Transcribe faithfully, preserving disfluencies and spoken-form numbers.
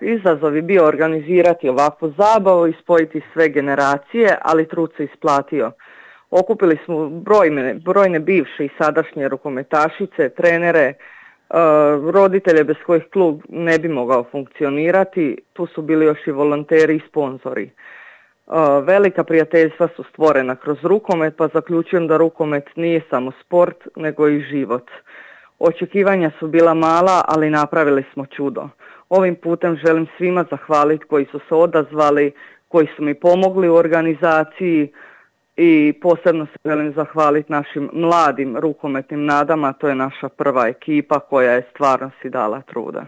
Izazov je bio organizirati ovakvu zabavu i spojiti sve generacije, ali trud se isplatio. Okupili smo brojne, brojne bivše i sadašnje rukometašice, trenere, roditelje bez kojih klub ne bi mogao funkcionirati. Tu su bili još i volonteri i sponzori. Velika prijateljstva su stvorena kroz rukomet, pa zaključujem da rukomet nije samo sport, nego i život. Očekivanja su bila mala, ali napravili smo čudo. Ovim putem želim svima zahvaliti koji su se odazvali, koji su mi pomogli u organizaciji i posebno se želim zahvaliti našim mladim rukometnim nadama, to je naša prva ekipa koja je stvarno si dala truda.